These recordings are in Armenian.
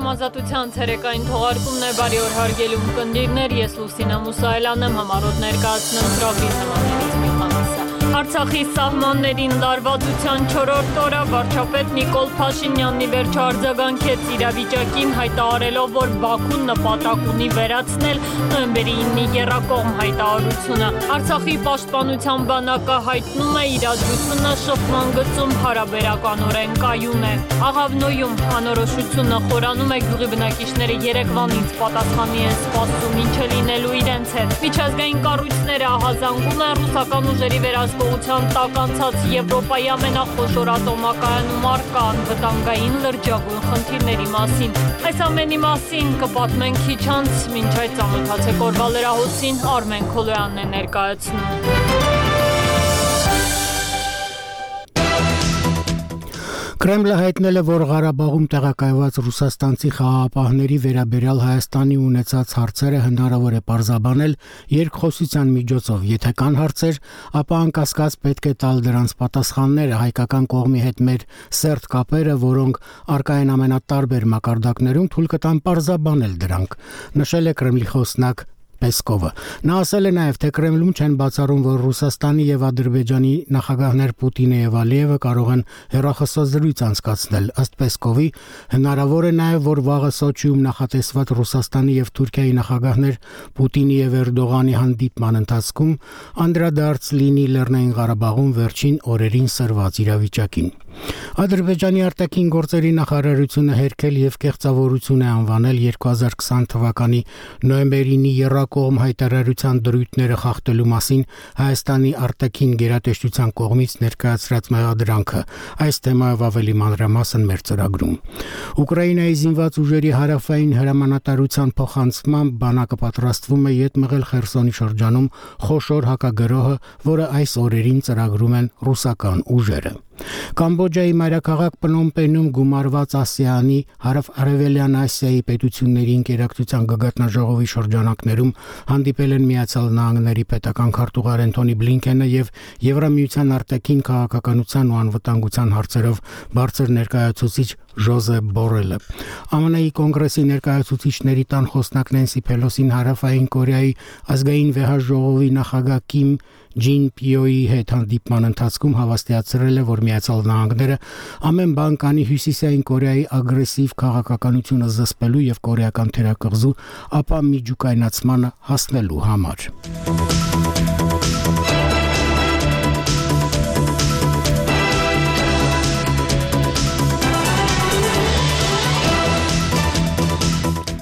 Համազատության ցերեկային թողարկումն է բարի օր հարգելի ունկնդիրներ, ես Լուսինա Մուսայելյան եմ, համառոտ ներկայացնում ծրագրի թեմաներից մի քանիսը։ Արցախի սահմաններին լարվածության 4-րդ օրը վարչապետ Նիկոլ Փաշինյանն ի վերջո արձագանքեց իրավիճակին, հայտարարելով, որ Բաքուն նպատակ ունի վերացնել նոյեմբերի 9-ի եռակողմ հայտարարությունը։ Արցախի պաշտպանության բանակը հայտնում է իրադրությունը շփման գծում հարաբերականորեն կայուն է։ Աղավնոյում անորոշությունը խորանում է, գյուղի բնակիչները երեկվանից պատասխանի են սպասում ինչ է լինելու իրենց հետ։ Միջազգային կառույցները ահազանգում են ռուսական ուժերի վերահսկողության տակ անցած Եվրոպայի ամենախոշոր ատոմակայանում առկա անվտանգային լրջագույն խնդիրների մասին։ Այս ամենի մասին կպատմենք քիչ անց, մինչ այդ ծանոթացեք օրվա լրահոսին, Արմեն Քոլոյանն է ներկայացնում։ Կրեմլը հայտնել է, որ Ղարաբաղում տեղակայված ռուսաստանցի խաղաղապահների վերաբերյալ Հայաստանի ունեցած հարցերը հնարավոր է պարզաբանել երկխոսության միջոցով։ Եթե կան հարցեր, ապա անկասկած պետք է տալ դրանց պատասխանները, հայկական կողմի հետ մեր սերտ կապերը, որոնք առկա են ամենատարբեր մակարդակներում, թույլ կտան պարզաբանել դրանք, նշել է Կրեմլի խոսնակ Պեսկովը։ Նա ասել է նաև, թե Կրեմլում չեն բացառում, որ Ռուսաստանի եւ Ադրբեջանի նախագահներ Պուտինը եւ Ալիևը կարող են հեռախոսազրույց անցկացնել։ Ըստ Պեսկովի, հնարավոր է նաև, որ վաղը Սոչիում նախատեսված Ռուսաստանի եւ Թուրքիայի նախագահներ Պուտինի եւ Էրդողանի հանդիպման ընթացքում անդրադարձ լինի Լեռնային Ղարաբաղում վերջին օրերին սրված իրավիճակին։ Ադրբեջանի արտաքին գործերի նախարարությունը հերքել եւ կեղծավորություն է անվանել 2020 թվականի նոյեմբերի 9-ի եռակողմ հայտարարության դրույթները խախտելու մասին Հայաստանի արտաքին գերատեսչության կողմից ներկայացրած մեղադրանքը։ Այս թեմայով ավելի մանրամասն մեր ծրագրում։ Ուկրաինայի զինված ուժերի հարավային հրամանատարության փոխանցմամբ բանակը պատրաստվում է ետ մղել Խերսոնի շրջանում խոշոր հակագրոհը, որը այս օրերին ծրագրում են ռուսական ուժերը։ Կամբոջայի մայրաքաղաք Պնոմ Պենում գումարված ASEAN-ի հարավ-արևելյան Ասիայի պետությունների ինկերակցության գագաթնաժողովի շրջանակներում հանդիպել են Միացյալ Նահանգների պետական քարտուղար Անթոնի Բլինքենը եւ Եվրամիության արտաքին քաղաքականության ու անվտանգության հարցերով բարձր ներկայացուցիչ Ժոզեփ Բորելը։ ԱՄՆ-ի կոնգրեսի ներկայացուցիչների տան խոսնակ Նենսի Փելոսին հարավային Կորեայի ազգային վեհաժողովի նախագահ Կիմ Ջին Պիոյի հետ հանդիպման ընթացքում հավաստիացրել է, որ Միացյալ Նահանգները ամեն բան կանի Հյուսիսային Կորեայի ագրեսիվ քաղաքականությունը զսպելու եւ կորեական թերակղզու ապա միջուկայնացմանը հասնելու համար։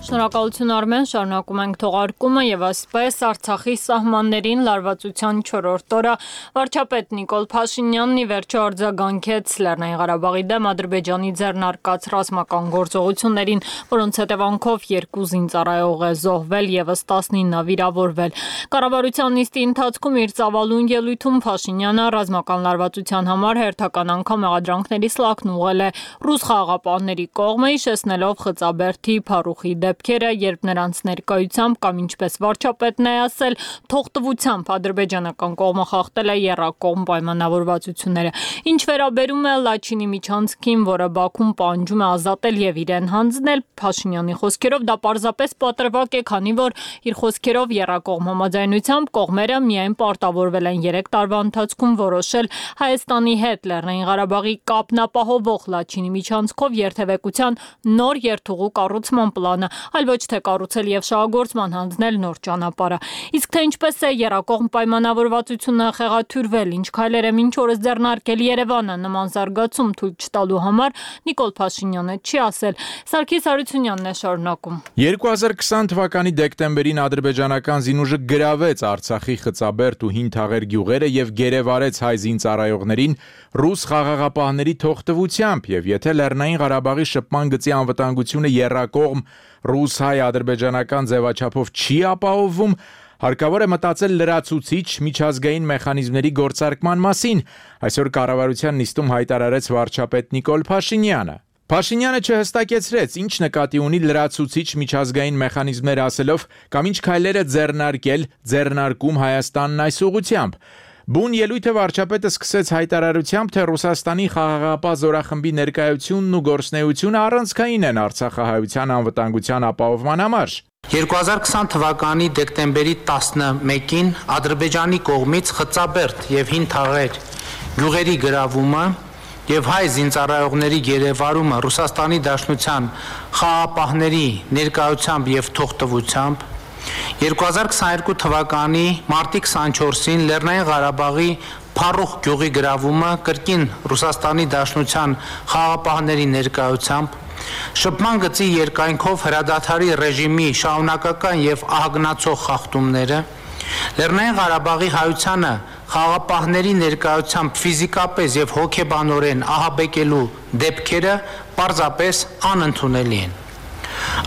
Շնորհակալություն Արմեն, շարունակում ենք թողարկումը եւ այսպես Արցախի սահմաններին լարվածության 4-րդ օրը վարչապետ Նիկոլ Փաշինյանն ի վերջո արձագանքեց Լեռնային Ղարաբաղի դեմ Ադրբեջանի ձեռնարկած ռազմական գործողություններին, որոնց հետևանքով 2 զինծառայող է զոհվել եւս 19 վիրավորվել։ Կառավարության նիստի ընթացքում իր ծավալուն ելույթում Փաշինյանը ռազմական լարվածության համար հերթական անգամ մեղադրանքների սլաքն ուղղել է ռուս խաղաղապահների կողմը, հիշեցնելով Խծաբերդի Փարուխի դեպքերը, երբ նրանց ներկայությամբ կամ ինչպես վարչապետն է ասել, թողտվությամբ ադրբեջանական կողմը խախտել է եռակողմ պայմանավորվածությունները։ Ինչ վերաբերում է Լաչինի միջանցքին, որը Բաքուն պահանջում է ազատել եւ իրեն հանձնել, Փաշինյանի խոսքերով դա պարզապես պատրվակ է, քանի որ իր խոսքերով եռակողմ համաձայնությամբ կողմերը միայն պարտավորվել են 3 տարվա ընթացքում որոշել Հայաստանի հետ Լեռնային Ղարաբաղի կապն ապահովող Լաչինի միջանցքով երթևեկության նոր երթուղու կառուցման պլանը, այլ ոչ թե կառուցել եւ շահագործման հանձնել նոր ճանապարհը։ Իսկ թե ինչպես է եռակողմ պայմանավորվածությունը խեղաթյուրվել, ինչ քայլեր է մինչ օրս ձեռնարկել Երևանը նման զարգացում թույլ չտալու համար, Նիկոլ Փաշինյանը չի ասել։ Սարգիս Հարությունյանն է շարունակում։ 2020 թվականի դեկտեմբերին ադրբեջանական զինուժը գրավեց Արցախի Խծաբերդ ու Հինթաղեր գյուղերը եւ գերեվարեց հայ զինծառայողներին ռուս խաղաղապահների թողտվությամբ, եւ եթե Լեռնային Ղարաբաղի շփման գծի անվտանգությունը եռակողմ ռուս-հայ-ադրբեջանական ձևաչափով չի ապահովվում, հարկավոր է մտածել լրացուցիչ միջազգային մեխանիզմների գործարկման մասին, այսօր կառավարության նիստում հայտարարեց վարչապետ Նիկոլ Փաշինյանը։ Փաշինյանը չհստակեցրեց, ինչ նկատի ունի լրացուցիչ միջազգային մեխանիզմներ ասելով, կամ ինչ քայլեր է ձեռնարկել, ձեռնարկում Հայաստանն այս ուղղությամբ։ Բուն ելույթը վարչապետը սկսեց հայտարարությամբ, թե Ռուսաստանի խաղաղապահ զորախմբի ներկայությունն ու գործունեությունը առանցքային են Արցախահայության անվտանգության ապահովման համար։ 2020 թվականի դեկտեմբերի 11-ին Ադրբեջանի կողմից Խծաբերդ եւ Հին Թաղեր գյուղերի գրավումը եւ հայ զինծառայողների գերեվարումը Ռուսաստանի Դաշնության խաղաղապահների ներկայությամբ եւ թողտվությամբ 2022 թվականի մարտի 24-ին Լեռնային Ղարաբաղի Փարուխ գյուղի գրավումը կրկին Ռուսաստանի Դաշնության խաղաղապահների ներկայությամբ շփման գծի երկայնքով հրադադարի ռեժիմի շարունակական եւ ահագնացող խախտումները Լեռնային Ղարաբաղի հայությանը խաղաղապահների ներկայությամբ ֆիզիկապես եւ հոգեբանորեն ահաբեկելու դեպքերը պարզապես անընդունելի են։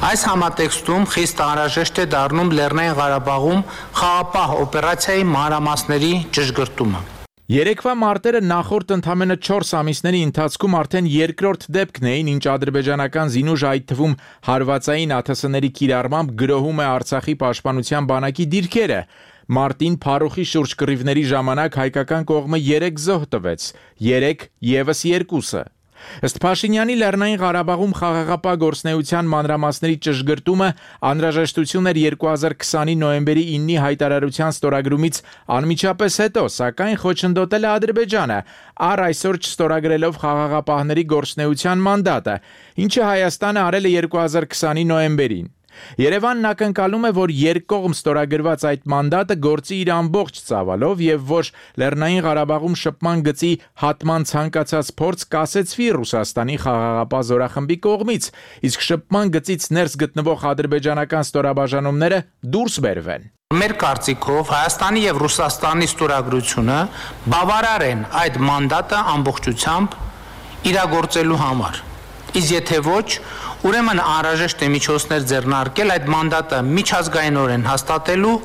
Այս համատեքստում խիստ անհրաժեշտ է դառնում Լեռնային Ղարաբաղում խաղաղապահ օպերացիայի մանրամասների ճշգրտումը։ Երեկվա մարտերը նախորդ ընդամենը 4 ամիսների ընթացքում արդեն երկրորդ դեպքն էին, ինչ ադրբեջանական զինուժ այդ թվում հարվածային ԱԹՍ-ների կիրառմամբ գրոհում է Արցախի պաշտպանության բանակի դիրքերը։ Մարտին Փարուխի շուրջ կռիվների ժամանակ հայկական կողմը 3 զոհ տվեց, 3 եւս 2-ը։ Ըստ Փաշինյանի Լեռնային Ղարաբաղում խաղաղապահ գործունեության մանրամասների ճշգրտումը անհրաժեշտություն էր 2020-ի նոյեմբերի 9-ի հայտարարության ստորագրումից անմիջապես հետո, սակայն խոչընդոտել է Ադրբեջանը, առ այսօր չստորագրելով խաղաղապահների գործունեության մանդատը, ինչը Հայաստանը արել է 2020-ի նոյեմբերին։ Երևանն ակնկալում է, որ երկկողմ ստորագրված այդ մանդատը գործի իր ամբողջ ծավալով եւ որ Լեռնային Ղարաբաղում շփման գծի հատման ցանկացած փորձ կասեցվի Ռուսաստանի խաղաղապահ զորախմբի կողմից, իսկ շփման գծից ներս գտնվող ադրբեջանական ստորաբաժանումները դուրս բերվեն։ Մեր կարծիքով Հայաստանի եւ Ռուսաստանի ստորագրությունը բավարար են այդ մանդատը ամբողջությամբ իրագործելու համար։ Իսկ եթե ոչ, ուրեմն անհրաժեշտ է միջոցներ ձեռնարկել այդ մանդատը միջազգայինորեն հաստատելու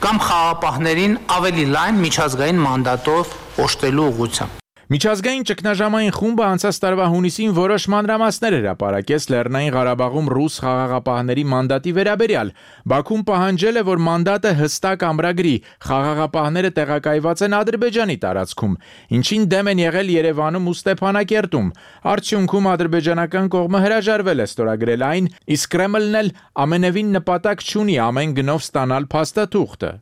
կամ խաղաղապահներին ավելի լայն միջազգային մանդատով օժտելու ուղղությամբ։ Միջազգային ճգնաժամային խումբը անցած տարվա հունիսին որոշ մանրամասներ հրապարակեց Լեռնային Ղարաբաղում ռուս խաղաղապահների մանդատի վերաբերյալ։ Բաքուն պահանջել է, որ մանդատը հստակ ամրագրի, խաղաղապահները տեղակայված են Ադրբեջանի տարածքում, ինչին դեմ են եղել Երևանում ու Ստեփանակերտում։ Արդյունքում ադրբեջանական կողմը հրաժարվել է ստորագրել այն, իսկ Կրեմլն էլ ամենևին նպատակ չունի ամեն գնով ստանալ փաստաթուղթը։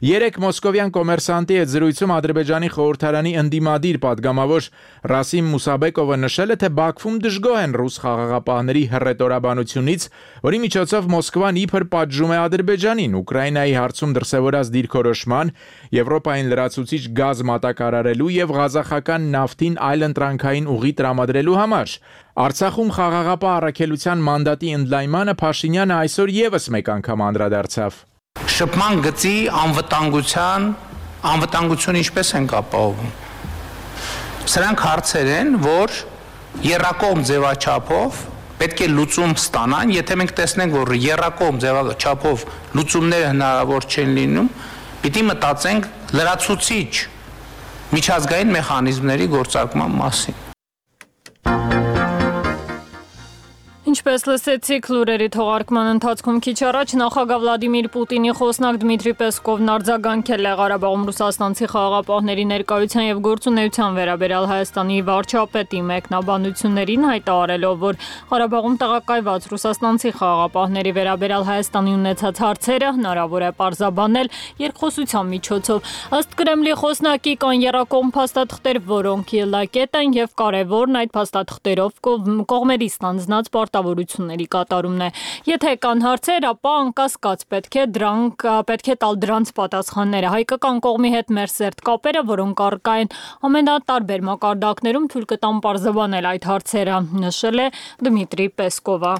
Երեք մոսկովյան կոմերսանտի հետ զրույցում Ադրբեջանի խորհրդարանի ընդդիմադիր պատգամավոր Ռասիմ Մուսաբեկովը նշել է, թե Բաքվում դժգոհ են ռուս խաղաղապահների հռետորաբանությունից, որի միջոցով Մոսկվան իբր պատժում է Ադրբեջանին Ուկրաինայի հարցում դրսևորած դիրքորոշման, Եվրոպային լրացուցիչ գազ մատակարարելու եւ ղազախական նավթին այլընտրանքային ուղի տրամադրելու համար։ Արցախում խաղաղապահ առաքելության մանդատի ընդլայնմանը Փաշինյանը այսօր եւս մեկ անգամ անդրադարձավ։ Շփման գծի անվտանգություն ինչպես են ապահովում։ Սրանք հարցեր են, որ եռակողմ ձևաչափով պետք է լուծում ստանան, եթե մենք տեսնենք, որ եռակողմ ձևաչափով լուծումները հնարավոր չեն լինում, պիտի մտածենք լրացուցիչ միջազգային մեխանիզմների գործարկման մասին։ Ինչպես լսեցիք լուրերի թողարկման ընթացքում քիչ առաջ նախագահ Վլադիմիր Պուտինի խոսնակ Դմիտրի Պեսկովն արձագանքել է Ղարաբաղում ռուսաստանցի խաղաղապահների ներկայության եւ գործունեության վերաբերյալ Հայաստանի վարչապետի մեկնաբանություններին, հայտարարելով, որ Ղարաբաղում տեղակայված ռուսաստանցի խաղաղապահների վերաբերյալ Հայաստանի ունեցած հարցերը հնարավոր է պարզաբանել երկխոսության միջոցով։ Ըստ Կրեմլի խոսնակի կան եռակողմ փաստաթղթեր, որոնք ելակետ են եւ կարեւորն այդ փաստաթղթերով կողմերի ստանձնած պարտավորությունների կատարումն է։ Եթե կան հարցեր, ապա անկասկած պետք է տալ դրանց պատասխանները։ Հայկական կողմի հետ մեր սերտ կապերը, որոնք առկա են ամենատարբեր մակարդակներում, թույլ կտան պարզաբանել այդ հարցերը, նշել է Դմիտրի Պեսկովը։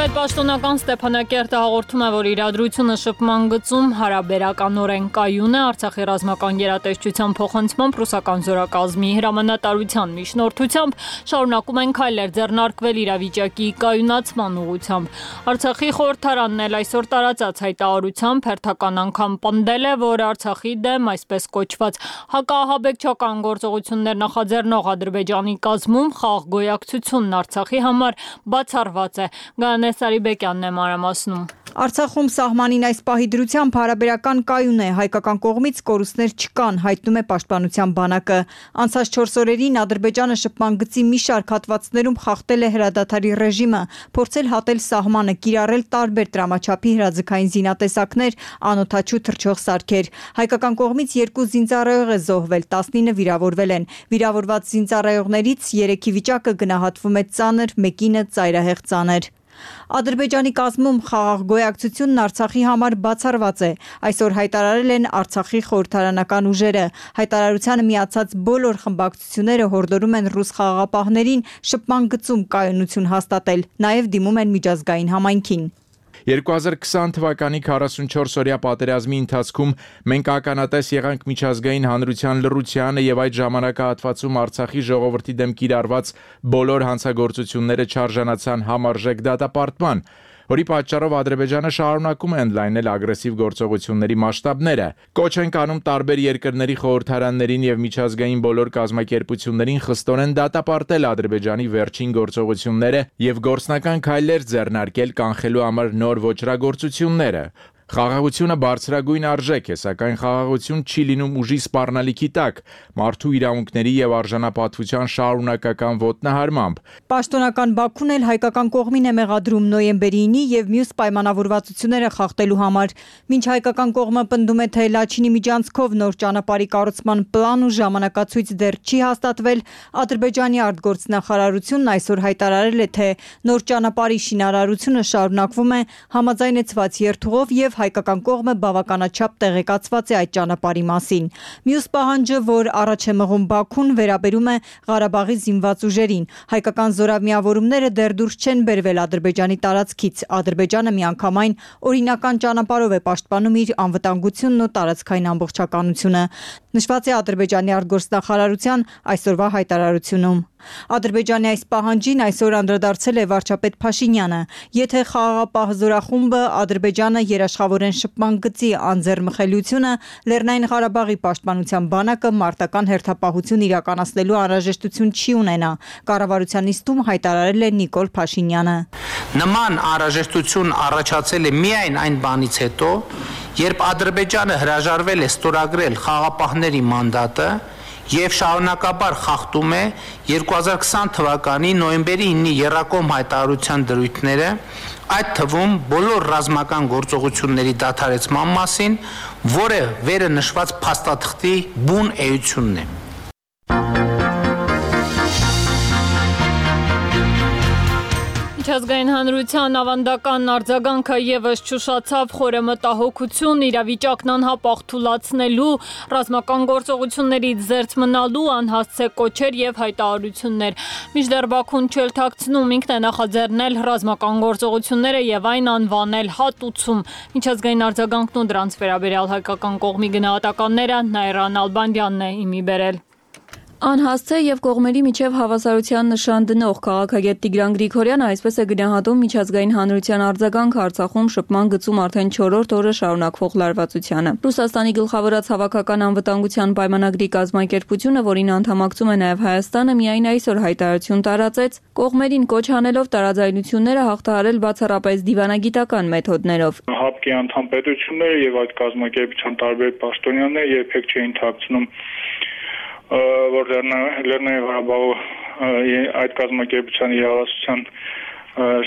Պետպաշտոնական Ստեփանակերտը հաղորդում է, որ իրադրությունը շփման գծում հարաբերականորեն կայուն է Արցախի ռազմական գերատեսչության փոխանցմամբ ռուսական զորակազմի հրամանատարության միջնորդությամբ շարունակում են քայլեր ձեռնարկվել իրավիճակի կայունացման ուղղությամբ։ Արցախի խորհրդարանն էլ այսօր տարածած հայտարարությամբ հերթական անգամ պնդել է, որ Արցախի դեմ այսպես կոչված հակաահաբեկչական գործողություններ նախաձեռնող Ադրբեջանի կազմում խաղաղ գոյակցությունն Արցախի համար բացառված է։ Գանես Արիբեկյանն է մանրամասնում։ Արցախում սահմանին այս պահի դրությամբ հարաբերական կայուն է, հայկական կողմից կորուստներ չկան, հայտնում է պաշտպանության բանակը։ Անցած 4 օրերին Ադրբեջանը շփման գծի մի շարք հատվածներում խախտել է հրադադարի ռեժիմը, փորձել հատել սահմանը, կիրառել տարբեր տրամաչափի հրաձգային զինատեսակներ, անօդաչու թռչող սարքեր։ Հայկական կողմից 2 զինծառայող է զոհվել, 19 վիրավորվել են։ Վիրավորված զինծառայողներից 3-ի վիճակը գնահատվում է ծանր, մեկինը ծայրահեղ ծանր։ Ադրբեջանի կազմում խաղաղ գոյակցությունն Արցախի համար բացառված է, այսօր հայտարարել են Արցախի խորհրդարանական ուժերը։ Հայտարարությանը միացած բոլոր խմբակցությունները հորդորում են ռուս խաղաղապահներին շփման գծում կայունություն հաստատել, նաև դիմում են միջազգային համայնքին։ 2020 թվականի 44-օրյա պատերազմի ընթացքում մենք ականատես եղանք միջազգային հանրության լռությանը եւ այդ ժամանակահատվածում Արցախի ժողովրդի դեմ կիրառված բոլոր հանցագործությունները չարժանացան համարժեք դատապարտման, որի պատճառով Ադրբեջանը շարունակում է ընդլայնել ագրեսիվ գործողությունների մասշտաբները։ Կոչ ենք անում տարբեր երկրների խորհրդարաններին եւ միջազգային բոլոր կազմակերպություններին խստորեն դատապարտել Ադրբեջանի վերջին գործողությունները եւ գործնական քայլեր ձեռնարկել կանխելու համար նոր ոճրագործությունները։ Խաղաղությունը բարձրագույն արժեք է, սակայն խաղաղություն չի լինում ուժի սպառնալիքի տակ, մարդու իրավունքների եւ արժանապատվության շարունակական ոտնահարմամբ։ Պաշտոնական Բաքուն էլ հայկական կողմին է մեղադրում նոյեմբերի 9-ի եւ մյուս պայմանավորվածությունները խախտելու համար։ Մինչ հայկական կողմը պնդում է, թե Լաչինի միջանցքով նոր ճանապարհի կառուցման պլան ու ժամանակացույց դեռ չի հաստատվել, Ադրբեջանի արտգործնախարարությունն այսօր հայտարարել է, թե նոր ճանապարհի շինարարությունը շարունակվում է համաձայնեցված երթուղով եւ հայկական կողմը բավականաչափ տեղեկացված է այդ ճանապարհի մասին։ Մյուս պահանջը, որ առաջ է մղում Բաքուն, վերաբերում է Ղարաբաղի զինված ուժերին։ Հայկական զորամիավորումները դեռ դուրս չեն բերվել Ադրբեջանի տարածքից։ Ադրբեջանը միանգամայն օրինական ճանապարհով է պաշտպանում իր անվտանգությունն ու տարածքային ամբողջականությունը, նշված է Ադրբեջանի արտգործնախարարության այսօրվա հայտարարությունում։ Ադրբեջանի այս պահանջին այսօր անդրադարձել է վարչապետ Փաշինյանը։ Եթե խաղաղապահ զորախումբը Ադրբեջանը երաշխավորեն շփման գծի անձեռմխելիությունը, Լեռնային Ղարաբաղի պաշտպանության բանակը մարտական հերթապահություն իրականացնելու անհրաժեշտություն չի ունենա, կառավարության նիստում հայտարարել է Նիկոլ Փաշինյանը։ Նման անհրաժեշտություն առաջացել է միայն այն բանից հետո, երբ Ադրբեջանը հրաժարվել է ստորագրել խաղաղապահների մանդատը եւ շարունակաբար խախտում է 2020 թվականի նոյեմբերի 9-ի եռակողմ հայտարարության դրույթները, այդ թվում բոլոր ռազմական գործողությունների դադարեցման մասին, որը վերը նշված փաստաթղթի բուն էությունն է։ Միջազգային հանրության ավանդական արձագանքը եւս ճուշացավ խորը մտահոգություն իրավիճակն անհապաղ թուլացնելու, ռազմական գործողություններից զերծ մնալու անհասցե կոչեր եւ հայտարարություններ։ Մինչդեռ Բաքուն չելթակցնում ինքն է նախաձեռնել ռազմական գործողությունները եւ այն անվանել հատուցում։ Միջազգային արձագանքն ու դրանց վերաբերյալ հայկական կողմի գնահատականները Նայրան Ալբանդյանն է իմի բերել։ Անհասցե եւ կողմերի միջև հավասարության նշան դնող քաղաքագետ Տիգրան Գրիգորյանը այսպես է գնահատում միջազգային հանրության արձագանքը Արցախում շփման գծում արդեն 4-րդ օրը շարունակվող լարվածությանը։ Ռուսաստանի գլխավորած հավաքական անվտանգության պայմանագրի կազմակերպությունը, որին անդամակցում է նաեւ Հայաստանը, միայն այսօր հայտարարություն տարածեց, կողմերին կոչ անելով տարաձայնությունները հաղթահարել բացառապես դիվանագիտական մեթոդներով։ ՀԱՊԿ-ի անդամ պետությունները եւ այդ կազմակերպության տարբեր պաշտոնյաներ երբեք չէին թաքցնում, որ Լեռնային Ղարաբաղը այդ կազմակերպության իրավասության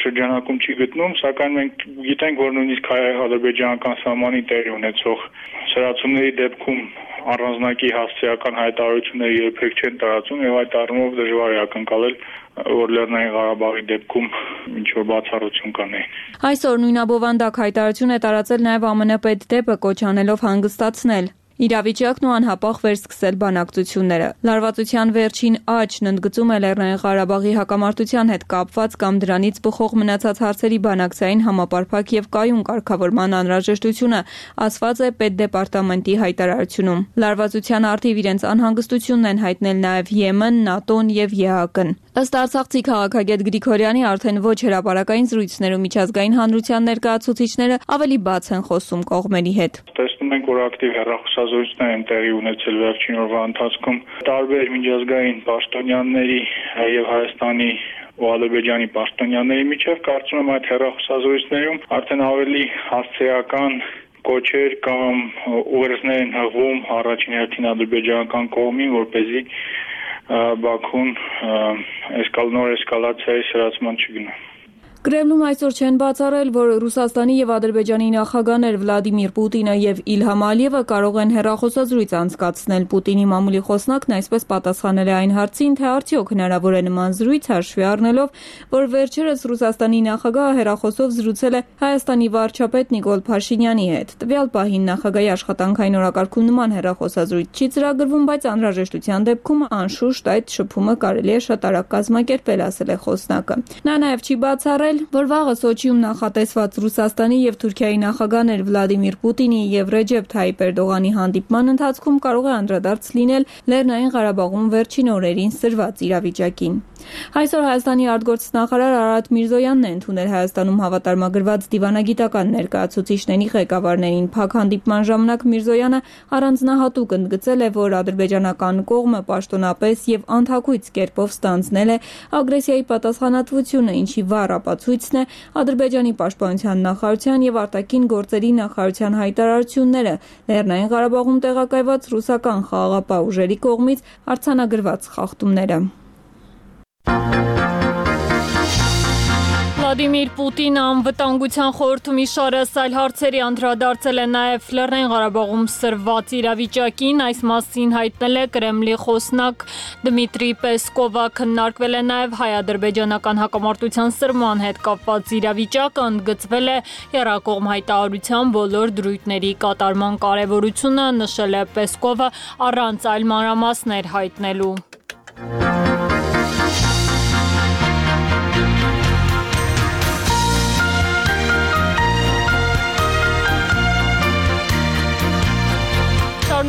շրջանակում չի գտնում, սակայն մենք գիտենք, որ նույնիսկ ադրբեջանական սահմանի տեղի ունեցող սրացումների դեպքում առանձնակի հասցեական հայտարարությունները երբեք չեն տարածում եւ այդ առումով դժվար է ակնկալել, որ Լեռնային Ղարաբաղի դեպքում ինչ-որ բացառություն կանե։ Այսօր նույնաբովանդակ հայտարարություն է տարածել նաեւ ԱՄՆ պետդեպը կոչ անելով հանգստացնել։ իրավիճակն ու անհապաղ վերսկսել բանակցությունները։ Լարվածության վերջին աճն ընդգծում է Լեռնային Ղարաբաղի հակամարտության հետ կապված կամ դրանից բխող մնացած հարցերի բանակցային համապարփակ եւ կայուն կարգավորման անհրաժեշտությունը, ասված է Պետդեպարտամենտի հայտարարությունում։ Լարվածության առթիվ իրենց անհանգստությունն են հայտնել նաև Եմեն, ՆԱՏՕ-ն եւ ԵԱՀԿ-ն։ Ըստ արցախցի քաղաքագետ Գրիգորյանի, արդեն ոչ հրապարակային զրույցներում միջազգային հանրության ներկայացուցիչները ավելի բաց են խոսում կողմերի հետ։ Տեսնում ենք, որ ակտիվ հեռախոսազրույցներ են տեղի ունեցել վերջին օրվա ընթացքում տարբեր միջազգային պաշտոնյաների եւ Հայաստանի ու Ադրբեջանի պաշտոնյաների միջև։ Կարծում եմ այդ հեռախոսազրույցներում արդեն ավելի հասցեական կոչեր կամ ուղերձներ են հղվում առաջին հերթին ադրբեջանական կողմին, որպեսզի Բաքուն նոր էսկալացիայի սրացման չգնա։ Կրեմլում այսօր չեն բացառել, որ Ռուսաստանի եւ Ադրբեջանի նախագահներ Վլադիմիր Պուտինը եւ Իլհամ Ալիևը կարող են հեռախոսազրույց անցկացնել։ Պուտինի մամուլի խոսնակն այսպես պատասխանել է այն հարցին, թե արդյոք հնարավոր է նման զրույց, հաշվի առնելով, որ վերջերս Ռուսաստանի նախագահը հեռախոսով զրուցել է Հայաստանի վարչապետ Նիկոլ Փաշինյանի հետ։ Տվյալ պահին նախագահի աշխատանքային օրակարգում նման հեռախոսազրույց չի ծրագրվում, բայց անհրաժեշտության դեպքում անշուշտ այդ շփումը կարելի է շատ արագ կազմակերպել, ասել է խոսնակը։ Նա նաեւ չի բացառել, որ վաղը Սոչիում նախատեսված Ռուսաստանի եւ Թուրքիայի նախագահներ Վլադիմիր Պուտինի եւ Ռեջեփ Թայիպ Էրդողանի հանդիպման ընթացքում կարող է անդրադարձ լինել Լեռնային Ղարաբաղում վերջին օրերին սրված իրավիճակին։ Այսօր Հայաստանի արտգործնախարար Արարատ Միրզոյանն է ընդունել Հայաստանում հավատարմագրված դիվանագիտական ներկայացուցիչների ղեկավարներին։ Փակ հանդիպման ժամանակ Միրզոյանը առանձնահատուկ ընդգծել է, որ ադրբեջանական կողմը պաշտոնապես եւ անթակույց կերպով ստանձնել է ագրեսիայի պատասխանատվությունը, ինչի վառ ապացույցն է Ադրբեջանի պաշտպանության նախարարության եւ արտաքին գործերի նախարարության հայտարարությունները Լեռնային Ղարաբաղում տեղակայված ռուսական խաղաղապահ ուժերի կողմից արձանագրված խախտումները։ Վլադիմիր Պուտինը անվտանգության խորհրդում իշարս այլ հարցերի անդրադարձել է նաև Լեռնային Ղարաբաղում սրված իրավիճակին, այս մասին հայտնել է Կրեմլի խոսնակ Դմիտրի Պեսկովը, քննարկվել է նաև հայ-ադրբեջանական հակամարտության սրման հետ կապված իրավիճակը, ընդգծվել է եռակողմ հայտարարության բոլոր դրույթների կատարման կարևորությունը, նշել է Պեսկովը առանց այլ մանրամասներ հայտնելու։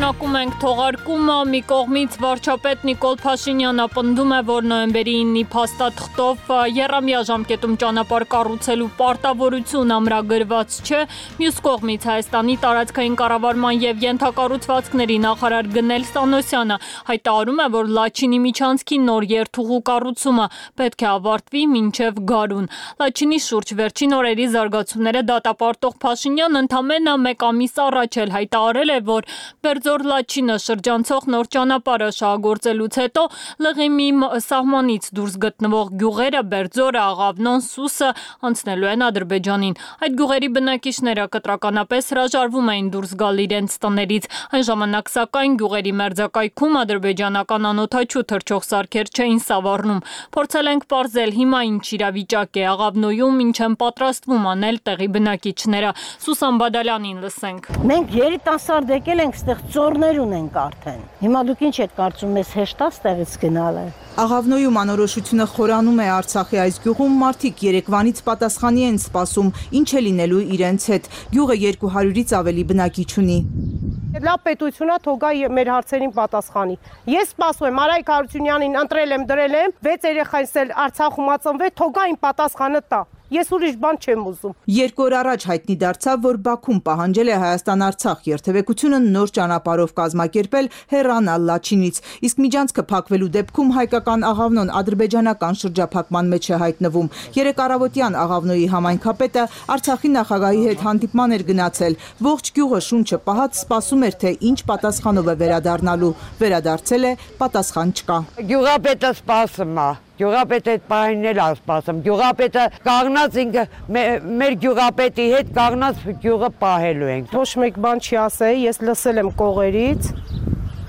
Շարունակում ենք թողարկումը, մի կողմից վարչապետ Նիկոլ Փաշինյանը պնդում է, որ նոյեմբերի 9-ի փաստաթղթով եռամյա ժամկետում ճանապարհ կառուցելու պարտավորություն ամրագրված չէ, մյուս կողմից Հայաստանի տարածքային կառավարման եւ ենթակառուցվածքների նախարար Գնել Սանոսյանը հայտարարում է, որ Լաչինի միջանցքի նոր երթուղու կառուցումը պետք է ավարտվի մինչև գարուն։ Լաչինի շուրջ վերջին օրերի զարգացումները դատապարտող Փաշինյանն ընդամենը մեկ ամիս առաջ էլ հայտարարել է, որ Բերձոր Լաչինը շրջանցող նոր ճանապարհը շահագործելուց հետո Լղիմի սահմանից դուրս գտնվող գյուղերը Բերձորը, Աղավնոն, Սուսը անցնելու են Ադրբեջանին։ Այդ գյուղերի բնակիչները կտրականապես հրաժարվում էին դուրս գալ իրենց տներից։ Այն ժամանակ սակայն գյուղերի մերձակայքում ադրբեջանական անօդաչու թռչող սարքեր չէին սավառնում։ Փորձել ենք պարզել հիմա ինչ իրավիճակ է Աղավնոյում, ինչ են պատրաստվում անել տեղի բնակիչները։ Սուսան Բադալյանին լսենք։ Մենք երիտասարդ եկել ենք ստեղ ծորներ ունենք արդեն։ Հիմա դուք ինչ եք կարծում, մեզ հեշտ է ստեղից գնալը։ Աղավնոյում անորոշությունը խորանում է Արցախի այս գյուղում մարդիկ երեկվանից պատասխանի են սպասում, ինչ է լինելու իրենց հետ։ Գյուղը 200-ից ավելի բնակիչ ունի։ Լավ պետությունա թողա մեր հարցերին պատասխանի։ Ես սպասում եմ Արայք Հարությունյանին ընտրել եմ, դրել եմ, 6 երեխայից էլ Արցախում ածնվել, թողա իմ պատասխանը տա։ Ես ուրիշ բան չեմ ուզում։ 2 օր առաջ հայտնի դարձավ, որ Բաքուն պահանջել է Հայաստան-Արցախ երթևեկությունը նոր ճանապարհով կազմակերպել հեռանալ Լաչինից, իսկ միջանցքը փակվելու դեպքում հայկական Աղավնոն ադրբեջանական շրջափակման մեջ է հայտնվում։ Երեկ առավոտյան Աղավնոյի համայնքապետը Արցախի նախագահի հետ հանդիպման էր գնացել։ Ողջ գյուղը շունչը պահած սպասում էր, թե ինչ պատասխանով է վերադառնալու։ Վերադարձել է, պատասխան չկա։ Գյուղապետը սպասում է։ Գյուղապետը այդ պահին էլ ասպասում։ Գյուղապետը կաղնած ինքը մեր գյուղապետի հետ կաղնած գյուղը պահելու ենք։ Ոչ մեկ բան չի ասել, ես լսել եմ կողերից,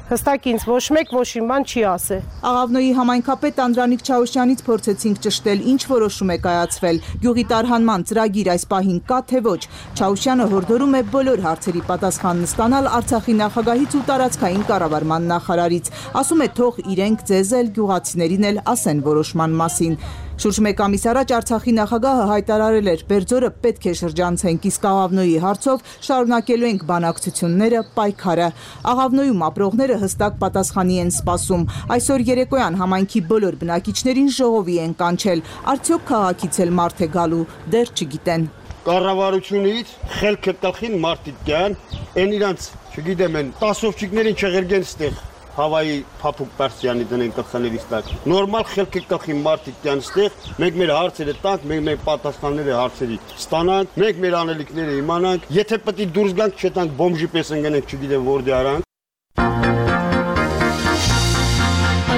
Հստակ ինձ ոչ մեկ ոչ իմ բան չի ասել։ Աղավնոյի համայնքապետ Անդրանիկ Չաուշյանից փորձեցինք ճշտել, ինչ որոշում է կայացվել։ Գյուղի տարհանման ծրագիր այս պահին կա թե ոչ։ Չաուշյանը հորդորում է բոլոր հարցերի պատասխանն ստանալ Արցախի նախագահից ու տարածքային կառավարման նախարարից։ Ասում է թող իրենք ձեզ էլ գյուղացիներին էլ ասեն որոշման մասին։ Շուրջ մեկ ամիս առաջ Արցախի նախագահը հայտարարել էր, Բերձորը պետք է շրջանցենք, իսկ Աղավնոյի հարցով շարունակելու ենք բանակցությունները, պայքարը։ Աղավնոյում ապրողները հստակ պատասխանի են սպասում։ Այսօր երեկոյան համայնքի բոլոր բնակիչներին ժողովի են կանչել։ Արդյոք քաղաքից էլ մարդ է գալու, դեռ չգիտեն։ Կառավարությունից խելքը տխին մարդիկ կան, այն իրանց, չգիտեմ, են տասովչիկներին չղերգեն ստեղ։ Հավայի փափուկ պարսյանի դնեն կխաներից տակ։ Նորմալ խելքը կխի մարդիկ կան ստեղ, մենք մեր հարցերը տանք, մենք մեր պատասխանները հարցերի ստանանք, մենք մեր անելիքները իմանանք, եթե պետք է դուրս գանք, չտանք բոմժի պես ընկնենք, չգիտեմ որտե արանք։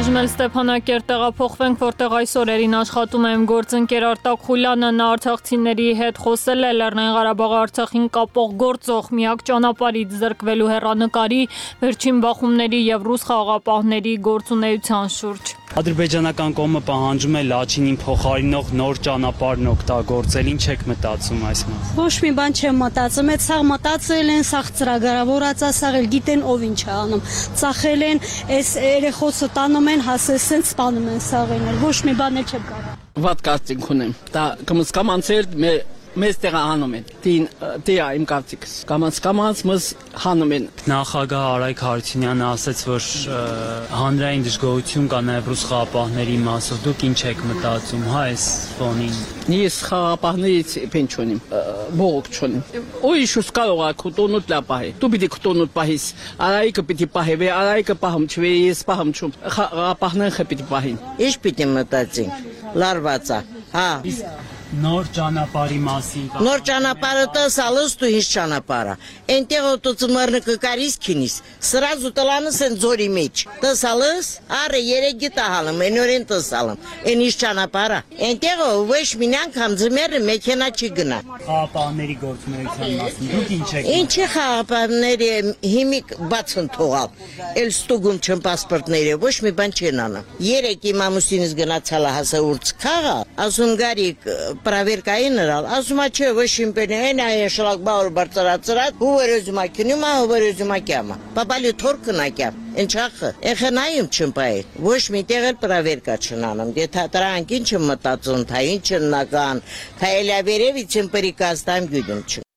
Այժմ էլ Ստեփանակերտ տեղափոխվենք, որտեղ այս օրերին աշխատում է գործընկեր Արտակ Խուլյանը, նա արցախցիների հետ խոսել է Լեռնային Ղարաբաղի Արցախին կապող գործող միակ ճանապարհից զրկվելու հեռանկարի, վերջին բախումների եւ ռուս խաղաղապահների գործունեության շուրջ։ Ադրբեջանական կողմը պահանջում է Լաչինին փոխարինող նոր ճանապարհն օգտագործել, ինչ եք մտածում այս մասին։ Ոչ մի բան չեմ մտածում, այդ սաղ մտածել են, սաղ ծրագրավորած է, սաղ էլ գիտեն ով ինչ է անում։ Ծախել են, այս երեխոսը տանում են, հասել սենց սպանում են սաղին էլ, ոչ մի բան էլ չեմ կարող։ Վատ կարծիք ունեմ, դա կամաց մեզ տեղը հանում են, դիա իմ կարծիքս, կամաց մեզ հանում են։ Նախագահ Արայք Հարությունյանը ասաց, որ հանրային դժգոհություն կա նաև ռուս խաղաղապահների մասով, դուք ինչ եք մտածում, հա այս ֆոնին։ Ես խաղաղապահներից պեն չունիմ, բողոք չունիմ։ Ույշուս կարող է քուտոնուտ լապահի, դու պիտի քուտոնուտ պահիս, Արայիկը պիտի պահի, վե Արայիկը պահում չվե, ես պահում չում, խաղաղապահները պիտի պահին։ Ինչ պիտի մտածենք, լարվածա, հա։ Նոր ճանապարհի մասին։ Նոր ճանապարհը տասալս դու ինչ ճանապարհը։ Այնտեղ օտոծմարը կկարիս քինիս։ Սրազու տլանս են ձորի մեջ։ Տասալս, արը երեգի տահալım, ենորեն տասալım։ Այն ինչ ճանապարհը։ Այնտեղ ոչ մինան կամձմերը մեքենա չի գնա։ Խաղապահների գործունեության մասին դուք ինչ եք։ Ինչի խաղապահների հիմիկ բացն թողալ։ Էլ ստուգում չեմ պասպորտները, ոչ մի բան չեն անում։ Երեք իմ ամուսինս գնացալ հասա урց խաղա, ասում գարիկ Проверкային նրան, ասում է չէ, ոչ իմպենի, այն այ շլագբաուր բարձրացրած, հուվերոզումա քնյումա, հուվերոզումա կյամա։ Պապալի թորքն ակյամ, ընչախը, էխենայում չմպայի, ոչ մի տեղ էլ պրավերկա չնանում, դե թատրանք ինչ եմ մտածում, թա ինչ են նական, թա էլյավերևից եմ պրիկաստամ գյուդում չն։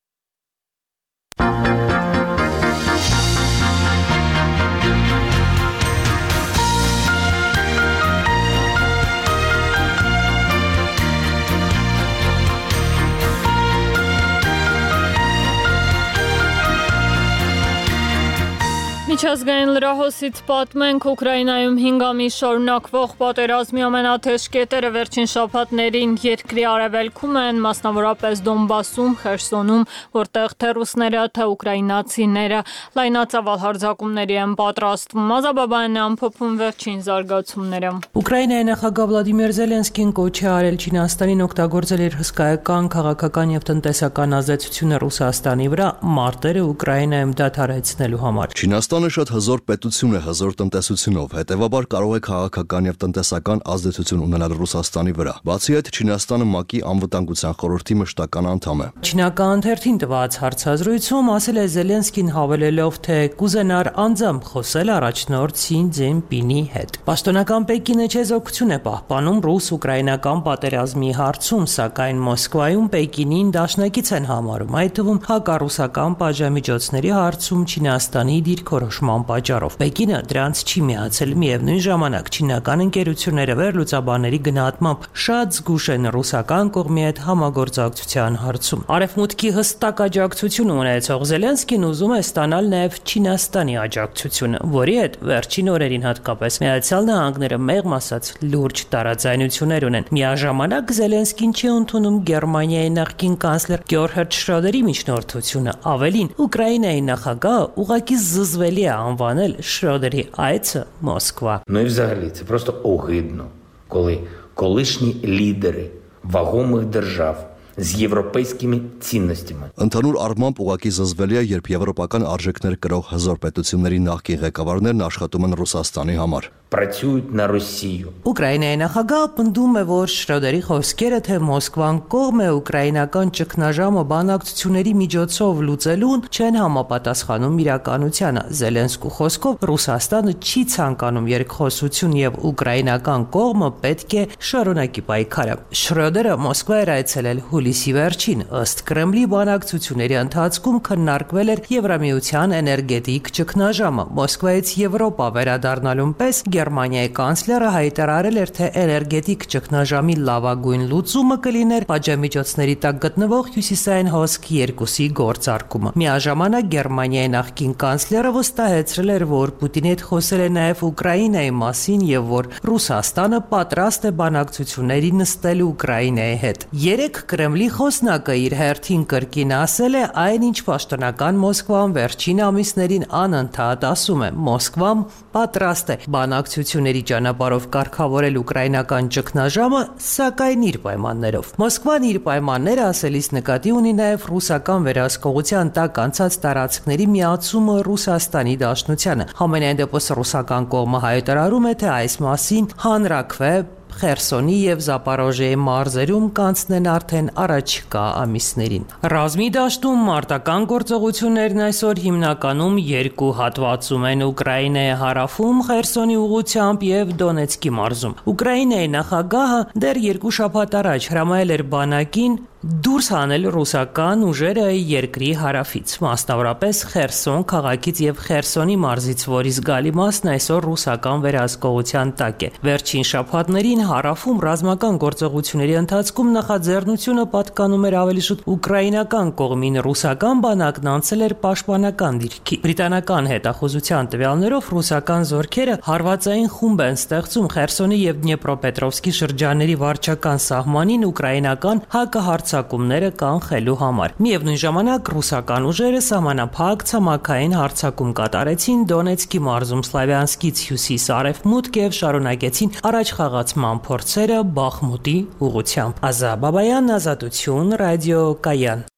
Միջազգային լրահոսից պատմենք Ուկրաինայում 5 ամիս շարունակվող պատերազմի ամենաթեժ կետերը վերջին շաբաթներին երկրի արևելքում են, մասնավորապես Դոնբասում, Խերսոնում, որտեղ թե ռուսները, թե ուկրաինացիները լայնածավալ հարձակումների են պատրաստվում։ Մազաբաբայանն է ամփոփում վերջին զարգացումները։ Ուկրաինայի նախագահ Վլադիմիր Զելենսկին կոչ է արել Չինաստանին օգտագործել իր հսկայական քաղաքական եւ տնտեսական ազդեցությունը Ռուսաստանի վրա մարտերը Ուկրաինայում դադարեցնելու համար։ Չինաստանը շատ հզոր պետություն է հզոր տնտեսությունով, հետևաբար կարող է քաղաքական եւ տնտեսական ազդեցություն ունենալ Ռուսաստանի վրա։ Բացի այդ, Չինաստանը ՄԱԿ-ի անվտանգության խորհրդի մշտական անդամ է։ Չինական ընթերցին տված հարցազրույցում ասել է Զելենսկին հավելելով, թե կուզենար անձամբ խոսել առաջնորդ Սի Ցզինպինի հետ։ Պաշտոնական Պեկինը չեզոքություն է պահպանում ռուս-ուկրաինական պատերազմի հարցում, սակայն Մոսկվայում Պեկինին դաշնակից են համարում, այդ թվում հակառուսական պատժամիջոցների հարցում Չինաստանի դիրքորոշման պատճառով։ Պեկինը դրանց չի միացել, միևնույն ժամանակ չինական ընկերությունները վերլուծաբանների գնահատմամբ շատ զգուշ են ռուսական կողմի հետ համագործակցության հարցում։ Արևմուտքի հստակ աջակցություն ունեցող Զելենսկին ուզում է ստանալ նաև Չինաստանի աջակցությունը, որի հետ վերջին օրերին հատկապես Միացյալ Նահանգները մեղմ ասած լուրջ տարաձայնություններ ունեն։ Միաժամանակ Զելենսկին չի ընդունում Գերմանիայի նախկին կանցլեր Գյորհերդ Շրոդերի միջնորդությունը։ Ավելին, Ուկրաինայի նախագահը ուղղակի զզվելի է անվանել Շրոդերի այցը Մոսկվա։ Ну і взагалі це просто огидно, коли колишні лідери вагомих держав с европейскими ценностями. Ընդհանուր առմամբ ուղղակի զզվելի է, երբ եվրոպական արժեքներ կրող հզոր պետությունների նախկին ղեկավարներն աշխատում են Ռուսաստանի համար։ Працюють на Росію. Ուկրաինայի նախագահը պնդում է, որ Շրոդերի խոսքերը, թե Մոսկվան կողմ է ուկրաինական ճգնաժամը բանակցությունների միջոցով լուծելուն, չեն համապատասխանում իրականությանը։ Զելենսկու խոսքով Ռուսաստանը չի ցանկանում երկխոսություն եւ ուկրաինական կողմը պետք է շարունակի պայքարը։ Շրոդերը Մոսկվա էր այցելել հուլիսի վերջին, ըստ Կրեմլի բանակցությունների ընթացքում քննարկվել էր Եվրամիության էներգետիկ ճգնաժամը։ Մոսկվայից Եվրոպա վերադառնալուն պես Գերմանիայի կանցլերը հայտարարել էր, թե էներգետիկ ճգնաժամի լավագույն լուծումը կլիներ պատժամիջոցների տակ գտնվող հյուսիսային հոսք 2-ի գործարկումը։ Միաժամանակ Գերմանիայի նախկին կանցլերը վստահեցրել էր, որ Պուտինի հետ խոսել է նաև Ուկրաինայի մասին եւ որ Ռուսաստանը պատրաստ է բանակցությունների նստել Ուկրաինայի հետ։ Երեք Կրեմլի խոսնակը իր հերթին կրկին ասել է այն, ինչ պաշտոնական Մոսկվան վերջին ամիսներին անընդհատ ասում է. Մոսկվան պատրաստ է բանակցությունների ճանապարհով կարգավորել ուկրաինական ճգնաժամը, սակայն իր պայմաններով։ Մոսկվան իր պայմանները ասելիս նկատի ունի նաև ռուսական վերահսկողության տակ անցած տարածքների միացումը Ռուսաստանի Դաշնությանը։ Համենայն դեպս ռուսական կողմը հայտարարում է, թե այս մասին հանրաքվե Խերսոնի եւ Զապորոժիեի մարզերում կանցնեն արդեն առաջիկա ամիսներին։ Ռազմի դաշտում մարտական գործողություններն այսօր հիմնականում երկու հատվածում են՝ Ուկրաինայի հարավում Խերսոնի ուղությամբ եւ Դոնեցկի մարզում։ Ուկրաինայի նախագահը դեռ 2 շաբաթ առաջ հրամայել էր բանակին դուրս հանել ռուսական ուժերը երկրի հարավից, մասնավորապես Խերսոն քաղաքից եւ Խերսոնի մարզից, որի զգալի մասն այսօր ռուսական վերահսկողության տակ է։ Վերջին շաբաթներին հարավում ռազմական գործողությունների ընթացքում նախաձեռնությունը պատկանում էր ավելի շուտ ուկրաինական կողմին, ռուսական բանակն անցել էր պաշտպանական դիրքի։ Բրիտանական հետախուզության տվյալներով ռուսական զորքերը հարվածային խումբ են ստեղծում Խերսոնի եւ Դնեպրոպետրովսկի շրջանների վարչական սահմանին ուկրաինական հակահարձակումները կանխելու համար։ Միևնույն ժամանակ ռուսական ուժերը սահմանափակ ցամաքային հարձակում կատարեցին Դոնեցկի մարզում Սլավյանսկից հյուսիս-արևմուտք եւ շարունակեցին առաջխաղացման փորձերը Բախմուտի ուղղությամբ։ Ազա Բաբայան, Ազատություն, Ռադիո Կայան։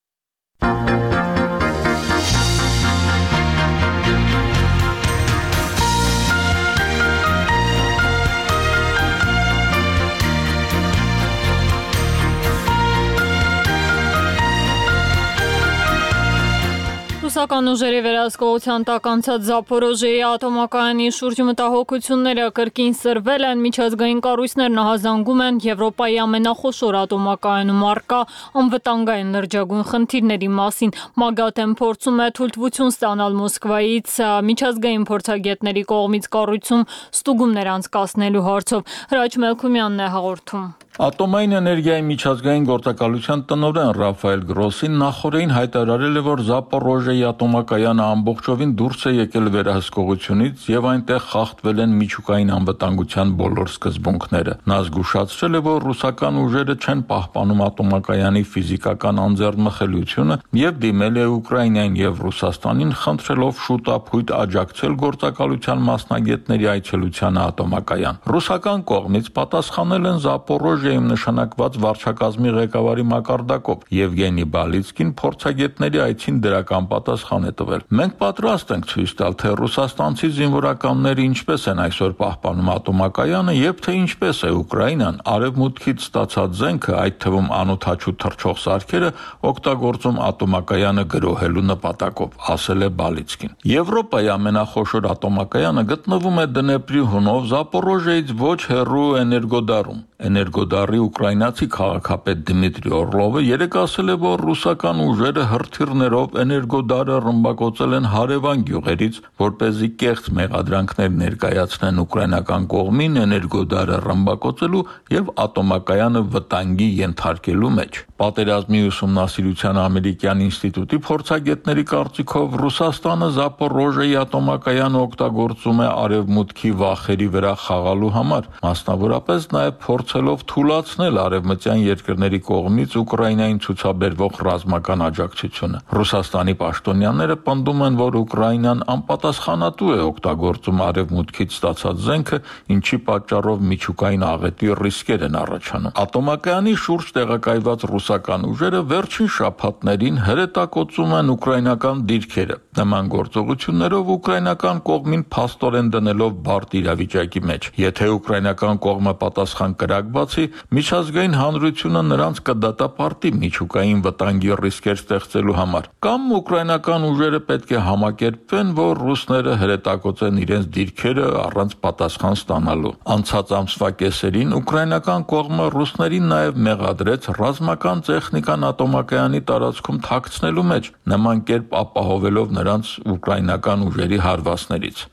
Ռուսական ուժերի վերահսկողության տակ անցած Զապորոժիեի ատոմակայանի շուրջ մտահոգությունները կրկին սրվել են, միջազգային կառույցներն ահազանգում են Եվրոպայի ամենախոշոր ատոմակայանում առկա անվտանգային լրջագույն խնդիրների մասին։ ՄԱԳԱՏ-ն փորձում է թույլտվություն ստանալ Մոսկվայից միջազգային փորձագետների կողմից կառույցում ստուգումներ անցկացնելու հարցով։ Հրաչ Մելքումյանն է հաղորդում։ Ատոմային էներգիայի միջազգային գործակալության տնօրեն Ռաֆայել Գրոսին նախորդին հայտարարել է, որ Զապորոժիեի ատոմակայանը ամբողջովին դուրս է եկել վերահսկողությունից եւ այնտեղ խախտվել են միջուկային անվտանգության բոլոր սկզբունքները։ Նա զգուշացրել է, որ ռուսական ուժերը չեն պահպանում ատոմակայանի ֆիզիկական անձեռնմխելիությունը եւ դիմել է Ուկրաինային եւ Ռուսաստանին, խնդրելով շուտապույտ աջակցել գործակալության մասնագետների այցելությանը ատոմակայան։ Ռուսական կողմից պատասխանել են Զապորոժիեում նշանակված վարչակազմի ղեկավարի մակարդակով Եվգենի Բալիցկին փորձագետների այցին դրական պատասխան է տվել։ Մենք պատրաստ ենք ցույց տալ, թե ռուսաստանցի զինվորականները ինչպես են այսօր պահպանում ատոմակայանը եւ թե ինչպես է Ուկրաինան արևմուտքից ստացած զենքը, այդ թվում անօդաչու թռչող սարքերը, օգտագործում ատոմակայանը գրոհելու նպատակով, ասել է Բալիցկին։ Եվրոպայի ամենախոշոր ատոմակայանը գտնվում է Դնեպրի հունով Զապորոժիեից ոչ հեռու Էներգոդարում։ Էներգոդարի ուկրաինացի քաղաքապետ Դմիտրի Օրլովը երեկ ասել է, որ ռուսական ուժերը հրթիռներով Էներգոդարը ռմբակոծել են հարևան գյուղերից, որպեսզի կեղծ մեղադրանքներ ներկայացնեն ուկրաինական կողմին Էներգոդարը ռմբակոծելու եւ ատոմակայանը վտանգի ենթարկելու մեջ։ Պատերազմի ուսումնասիրության ամերիկյան ինստիտուտի փորձագետների կարծիքով Ռուսաստանը Զապորոժիեի ատոմակայանը օգտագործում է արևմուտքի վախերի վրա խաղալու համար, մասնավորապես նաեւ փորձ փորձելով թուլացնել արևմտյան երկրների կողմից Ուկրաինային ցուցաբերվող ռազմական աջակցությունը։ Ռուսաստանի պաշտոնյաները պնդում են, որ Ուկրաինան անպատասխանատու է օգտագործում արևմուտքից ստացած զենքը, ինչի պատճառով միջուկային աղետի ռիսկեր են առաջանում։ Ատոմակայանի շուրջ տեղակայված ռուսական ուժերը վերջին շաբաթներին հրետակոծում են ուկրաինական դիրքերը։ Նման գործողություններով ուկրաինական կողմին փաստորեն դնելով բարդ իրավիճակի մեջ։ Եթե ուկրաինական կողմը պատասխան կրակ բացի, միջազգային հանրությունը նրանց կդատապարտի միջուկային վտանգի ռիսկեր ստեղծելու համար։ Կամ ուկրաինական ուժերը պետք է համակերպվեն, որ ռուսները հրետակոծեն իրենց դիրքերը առանց պատասխան ստանալու։ Անցած ամսվա կեսերին ուկրաինական կողմը ռուսներին նաև մեղադրեց ռազմական տեխնիկան ատոմակայանի տարածքում թաքցնելու մեջ, նման կերպ ապահովելով նրանց ուկրաինական ուժերի հարվածներից։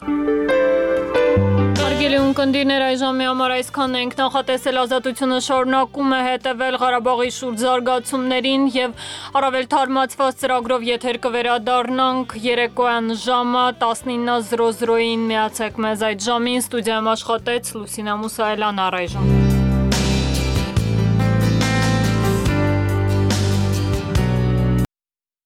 Հարգելի ունկնդիրներ, այժմի համար այսքանն ենք։ Նախատեսել ազատությունը շարունակում է հետևել Ղարաբաղի շուրջ զարգացումներին եւ առավել թարմացված ծրագրով եթեր կվերադառնանք երեկոյան ժամը 19:00-ին։ Միացեք մեզ այդ ժամին։ Ստուդիայում աշխատեց Լուսինա Մուսայելյան, առայժմ